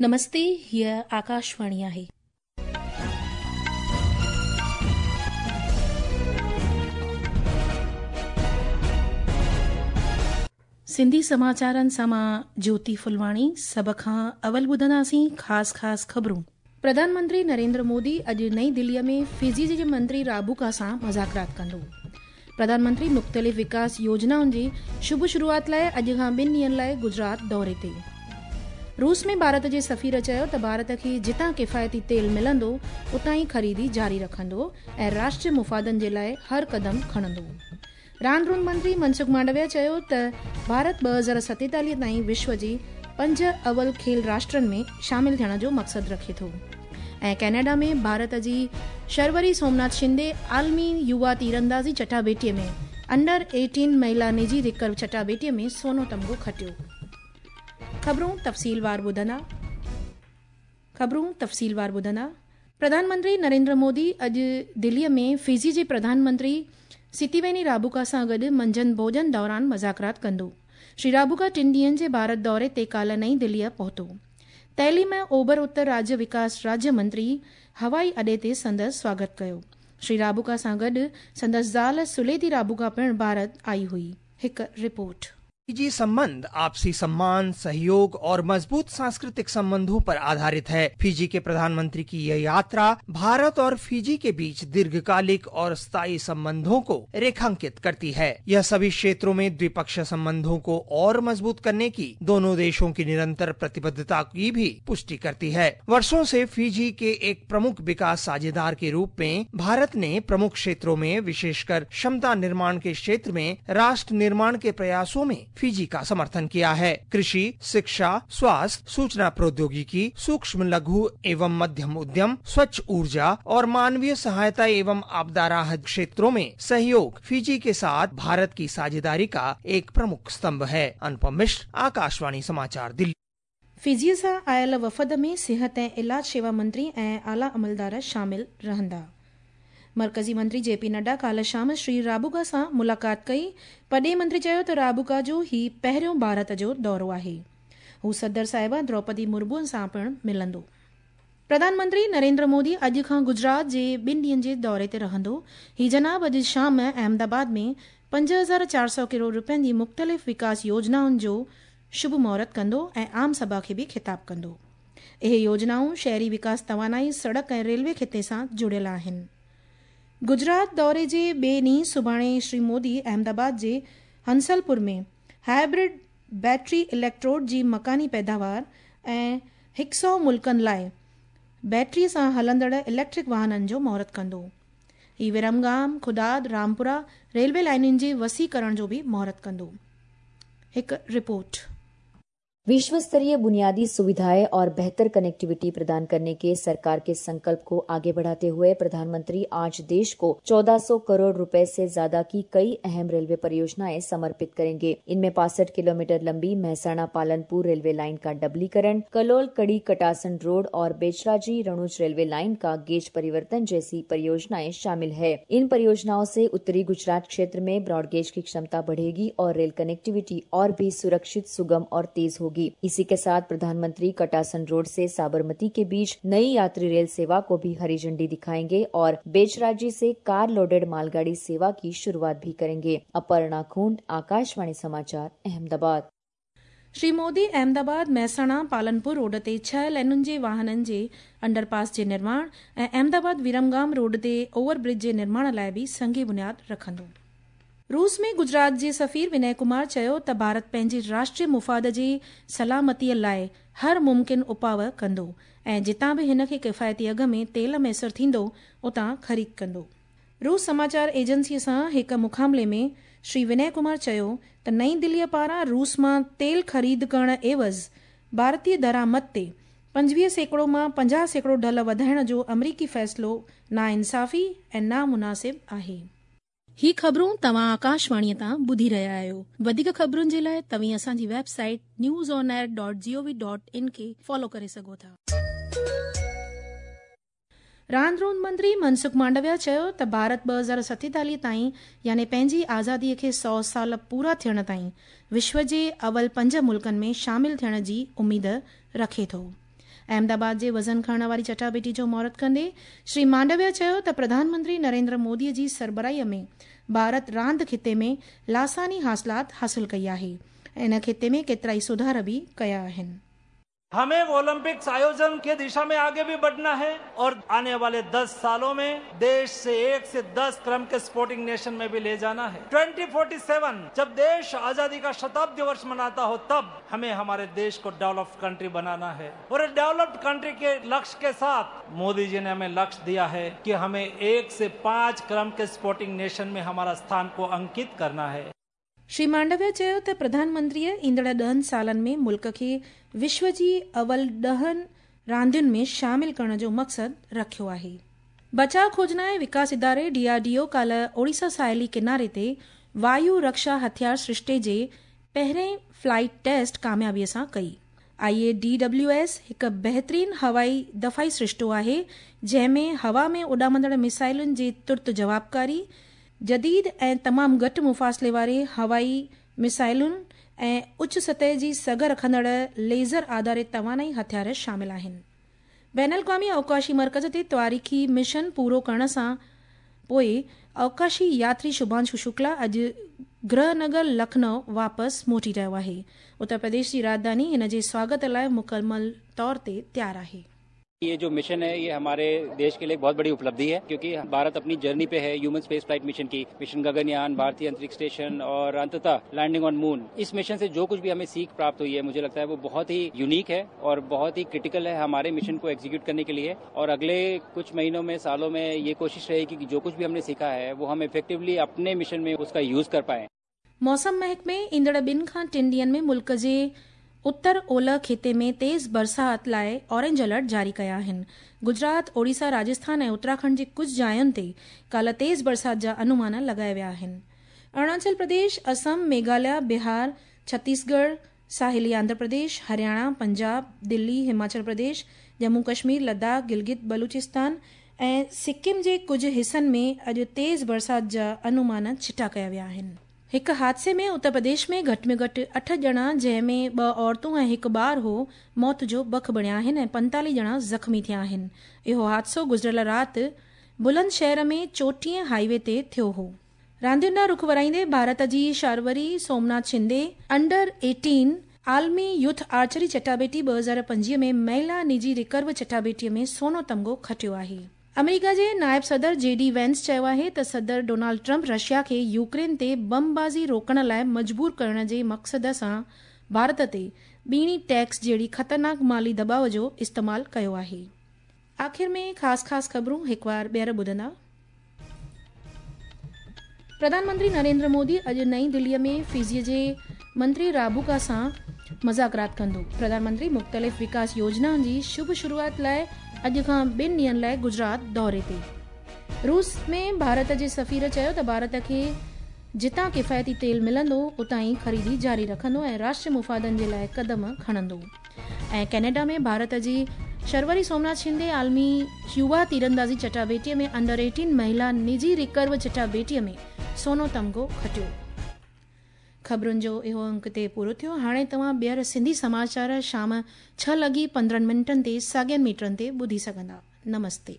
نمستي، هيء آڪاشواڻي آهي. سنڌي سماچارن سان مان جوتي ڦلواڻي سڀ کان اول ٻڌنداسين خاص خاص خبرون. پرڌان منتري نريندر مودي اڄ نئين دليء ۾ فجي جي منتري رابوڪا سان مذاڪرات ڪندو. پرڌان منتري مختلف وڪاس يوجنائن جي شڀ شروعات لاء اڄ کان ٻن ڏينهن لاء گجرات دوري تي. روس ۾ ڀارت جي سفير چيو ته ڀارت کي جتان ڪفايتي تيل ملندو اتان ئي خريدي جاري رکندو ۽ راشٽري مفادن جي لاء هر قدم کڻندو. راند روند منتري منسک مانڊويا چيو ته ڀارت 2047 تائين وشو جي پنج اول کيل راشٽرن ۾ شامل ٿيڻ جو مقصد رکي ٿو ۽ ڪئناڊا ۾ ڀارت جي شروري سومناٿ شندي عالمي يووا تيراندازي چٽاڀيٽي ۾ انڊر 18 مهلا نجي رڪرو چٽاڀيٽي ۾ سونو تمغو کٽيو. خبرون تفصيلوار ٻڌندا. خبرون تفصيلوار ٻڌندا. پرڌان منتري نريندر مودي اڄ دليء ۾ فجي جي پرڌان منتري ستيويني رابوڪا سان گڏ منجهند ڀوڄن دوران مذاڪرات ڪندو. شري رابوڪا ٽن ڏينهن جي ڀارت دوري تي ڪالهه نئين دليء پهتو. تعليم ۽ اوڀر اتر راجيه وڪاس راجيه منتري هوائي اڏي تي سندس سواگت ڪيو. شري رابوڪا سان گڏ سندس زال سليتي رابوڪا پڻ ڀارت آئي هئي. هڪ رپورٽ. फीजी संबंध आपसी सम्मान, सहयोग और मजबूत सांस्कृतिक संबंधों पर आधारित है। फीजी के प्रधानमंत्री की यह यात्रा भारत और फीजी के बीच दीर्घकालिक और स्थायी संबंधों को रेखांकित करती है। यह सभी क्षेत्रों में द्विपक्षीय संबंधों को और मजबूत करने की दोनों देशों की निरंतर प्रतिबद्धता की भी पुष्टि करती है। वर्षों से फीजी के एक प्रमुख विकास साझेदार के रूप में भारत ने प्रमुख क्षेत्रों में, विशेषकर क्षमता निर्माण के क्षेत्र में, राष्ट्र निर्माण के प्रयासों में फीजी का समर्थन किया है। कृषि, शिक्षा, स्वास्थ्य, सूचना प्रौद्योगिकी, सूक्ष्म लघु एवं मध्यम उद्यम, स्वच्छ ऊर्जा और मानवीय सहायता एवं आपदा राहत क्षेत्रों में सहयोग फीजी के साथ भारत की साझेदारी का एक प्रमुख स्तंभ है। अनुपम मिश्र, आकाशवाणी समाचार, दिल्ली। फिजीअ सां आयल वफ़द में सिहत ऐं इलाज शेवा मंत्री ऐं आला अमलदार शामिल रहंदा। मर्कज़ी मंत्री जे पी नड्डा काल्ह शाम श्री राबुका सां मुलाक़ात कई। पڏيهي मंत्री चयो ته राबुका जो ही पहिरियों ڀارت جو دورو آهي. هو صدر صاحبه دروپدي مرمو سان پڻ ملندو. پرڌان منتري نريندر مودي اڄ کان گجرات جي ٻن ڏينهن جي دوري تي رهندو. هي جناب اڄ شام احمدآباد ۾ 5400 ڪروڙ رپين جي مختلف وڪاس يوجنائن جو شڀ مهورت ڪندو ۽ عام سڀا کي به خطاب ڪندو. اهي يوجنائون شهري وڪاس، توانائي، سڙڪ ۽ ريلوي خطي سان جڙيل آهن. گجرات دوري جي ٻئي ڏينهن سڀاڻي شري مودي احمدآباد جي هنسلپور ۾ هائبرڊ بيٽري اليڪٽروڊ جي مڪاني پيداوار ۽ 100 ملڪن لاء بيٽري سان هلندڙ اليڪٽرڪ واهنن جو مهورت ڪندو. هي ورمگام، خداد، رامپورا ريلوي لائنن جي وسيع ڪرڻ جو به مهورت ڪندو. هڪ رپورٽ. विश्व स्तरीय बुनियादी सुविधाएं और बेहतर कनेक्टिविटी प्रदान करने के सरकार के संकल्प को आगे बढ़ाते हुए प्रधानमंत्री आज देश को 1400 करोड़ रुपए से ज्यादा की कई अहम रेलवे परियोजनाएं समर्पित करेंगे। इनमें 65 किलोमीटर लंबी महसाणा पालनपुर रेलवे लाइन का डबलीकरण, कलोल कड़ी कटासन रोड और बेचराजी रणुज रेलवे लाइन का गेज परिवर्तन जैसी परियोजनाएं शामिल है। इन परियोजनाओं से उत्तरी गुजरात क्षेत्र में ब्रॉडगेज की क्षमता बढ़ेगी और रेल कनेक्टिविटी और भी सुरक्षित, सुगम और तेज होगी। इसी के साथ प्रधानमंत्री कटासन रोड से साबरमती के बीच नई यात्री रेल सेवा को भी हरी झंडी दिखाएंगे और बेचराजी से कार लोडेड मालगाड़ी सेवा की शुरुआत भी करेंगे। अपर्णा खूंट, आकाशवाणी समाचार, अहमदाबाद। श्री मोदी अहमदाबाद महसाणा पालनपुर रोड ते 6 लेनुनि जे वाहननि जे अंडरपास जे निर्माण ऐं अहमदाबाद विरमगाम रोड ते ओवरब्रिज जे निर्माण लाइ बि संग बुनियाद रखंदो। रूस में गुजरात जे सफ़ीर विनय कुमार चयो त भारत पंहिंजे राष्ट्रीय मुफ़ाद जी सलामतीअ लाइ हर मुमकिन उपाव कंदो ऐं जितां बि हिन खे किफ़ायती अघ में तेल मयसर थींदो उतां ख़रीद कंदो। रूस समाचार एजेंसीअ सां हिकु मुखामले में श्री विनय कुमार चयो त नई दिल्लीअ पारां रूस मां तेल ख़रीद करण एवज़ भारतीय दरामद ते 25% मां 50% ढल वधाइण जो अमरीकी फ़ैसिलो नाइंसाफ़ी ऐं नामुनासिब आहे। ही ख़बरूं तव्हां आकाशवाणीअ तां ॿुधी रहिया आहियो। वधीक ख़बरुनि जे लाइ तव्हीं असांजी वेबसाइट newsonair.gov.in खे फॉलो करे सघो था। रांद रोंद मंत्री मनसुख मांडविया चयो त भारत 2047 ताईं यानी पंहिंजी आज़ादीअ खे 100 साल पूरा थियण ताईं विश्व जे अवल 5 मुल्कनि में शामिल थियण जी उमेद रखे थो। احمدآباد جي وزن کڻڻ واري چٽاڀيٽي جو مهورت ڪندي شري مانڊويه چيو ته پرڌان منتري نريندر مودي جي سربراهي ۾ ڀارت راند خطي ۾ لاثاني حاصلات حاصل ڪئي آهي ۽ ان خطي ۾ ڪيترائي سڌار به ڪيا آهن. हमें ओलंपिक्स आयोजन के दिशा में आगे भी बढ़ना है और आने वाले 10 सालों में देश से 1 से 10 क्रम के स्पोर्टिंग नेशन में भी ले जाना है। 2047 जब देश आजादी का शताब्दी वर्ष मनाता हो, तब हमें हमारे देश को डेवलप्ड कंट्री बनाना है और डेवलप्ड कंट्री के लक्ष्य के साथ मोदी जी ने हमें लक्ष्य दिया है कि हमें 1 से 5 क्रम के स्पोर्टिंग नेशन में हमारा स्थान को अंकित करना है। श्री मांडविया चयो त प्रधानमंत्रीअ ईंदड़ 10 सालनि में मुल्क खे विश्व जी अवल 10 रांदियुनि में शामिल करण जो मक़सदु रखियो आहे। बचाव खोजना ऐं विकास इदारे डीआरडीओ काल्ह ओडिशा साहिली किनारे ते वायु रक्षा हथियार सृष्टे जे पहिरें फ्लाइट टेस्ट कामयाबीअ सां कई। आईएडीडब्ल्यूएस हिकु बहितरीन हवाई दफ़ाई सृष्टो आहे, जंहिं में हवा में उॾामंदड़ मिसाइलुनि जी तुर्त जवाबकारी, जदीद ऐं तमामु घटि मुफ़ासिले वारे हवाई मिसाइलुनि ऐं उच्च सतह जी सघ रखंदड़ लेज़र आधारित तवानाई हथियार शामिल आहिनि। बैन अल-अक़वामी अवकाशी मर्कज़ ते तवारीख़ी मिशन पूरो करण सां पोइ अवकाशी यात्री शुभांशु शुक्ला अॼु गृहनगर लखनऊ वापसि मोटी रहियो आहे। उत्तर प्रदेश जी राजधानी हिन जे स्वागत लाइ मुकमल तौर ते तयारु आहे। ये जो मिशन है ये हमारे देश के लिए बहुत बड़ी उपलब्धि है, क्योंकि भारत अपनी जर्नी पे है ह्यूमन स्पेस फ्लाइट मिशन की, मिशन गगनयान, भारतीय अंतरिक्ष स्टेशन और अंततः लैंडिंग ऑन मून। इस मिशन से जो कुछ भी हमें सीख प्राप्त हुई है, मुझे लगता है वो बहुत ही यूनिक है और बहुत ही क्रिटिकल है हमारे मिशन को एग्जीक्यूट करने के लिए। और अगले कुछ महीनों में, सालों में ये कोशिश रहेगी कि जो कुछ भी हमने सीखा है वो हम इफेक्टिवली अपने मिशन में उसका यूज कर पाए। मौसम महकमे ईंदड़ 2 खां 3 ॾींहंनि में मुल्क जे उत्तर ओलह खिते में तेज़ बरसात लाइ ऑरेंज अलर्ट जारी कया आहिनि। गुजरात, ओडिशा, राजस्थान ऐं उत्तराखंड जे कुझु जायुनि ते काल्ह तेज़ बरसात जा अनुमान लॻाया विया आहिनि। अरुणाचल प्रदेश, असम, मेघालय, बिहार, छत्तीसगढ़, साहिली आंध्र प्रदेश, हरियाणा, पंजाब, दिल्ली, हिमाचल प्रदेश, जम्मू कश्मीर, लद्दाख, गिलगित बलूचिस्तान ऐं सिक्किम जे कुझु हिसनि में अॼु तेज़ बरसात जा अनुमान छिटा कया विया आहिनि। हिकु हादसे में उत्तर प्रदेश में घटि में घटि 8 ॼणा, जंहिं में 2 औरतूं ऐं 1 ॿार हो, मौत जो बख बणिया आहिनि ऐं 45 ॼणा ज़ख़्मी थिया आहिनि। इहो हादसो गुज़िरियल राति बुलंदशहर में 34 हाईवे ते थियो हो। रांदियुनि ॾांहुं रुख वराईंदे भारत जी शारवरी सोमनाथ शिंदे अंडर 18 आलमी यूथ आर्चरी चटाभेटी 2025 में महिला निजी रिकर्व चटाभेटीअ में सोनो तमगो खटियो आहे। अमेरिका जे नायब सदर जेडी वेंस चयो आहे त सदर डोनाल्ड ट्रंप रशिया खे यूक्रेन ते बमबाज़ी रोकण लाइ मजबूर करण जे मक़सद सां भारत ते ॿीणी टैक्स जहिड़ी ख़तरनाक माली दबाव जो इस्तेमालु कयो आहे। आख़िर में ख़ासि ख़ासि ख़बरूं हिकु वार ॿीहर ॿुधंदा। प्रधानमंत्री नरेंद्र मोदी अॼु नई दिल्लीअ में फिजी जे मंत्री राबुका सां मुज़ाकरात कंदो। प्रधानमंत्री मुख़्तलिफ़ विकास योजनाउनि जी शुभ शुरूआत लाइ अॼु खां 2 ॾींहंनि लाइ गुजरात दौरे ते। रूस में भारत जे सफ़ीर चयो त भारत खे जितां किफ़ायती तेल मिलंदो उतां ई ख़रीदी जारी रखंदो ऐं राष्ट्रीय मुफ़ादनि जे लाइ कदम खणंदो। ऐं कैनेडा में भारत जी शर्वरी सोमनाथ शिंदे आलमी युवा तीरंदाज़ी चटाभेटीअ में अंडर 18 महिला निजी रिकर्व चटाभेटीअ में सोनो तमगो खटियो। ख़बरुनि जो इहो अंक ते पूरो थियो। हाणे तव्हां ॿीहर सिंधी समाचार शाम 6:15 ते साॻियनि मीटरनि ते ॿुधी सघंदा। नमस्ते।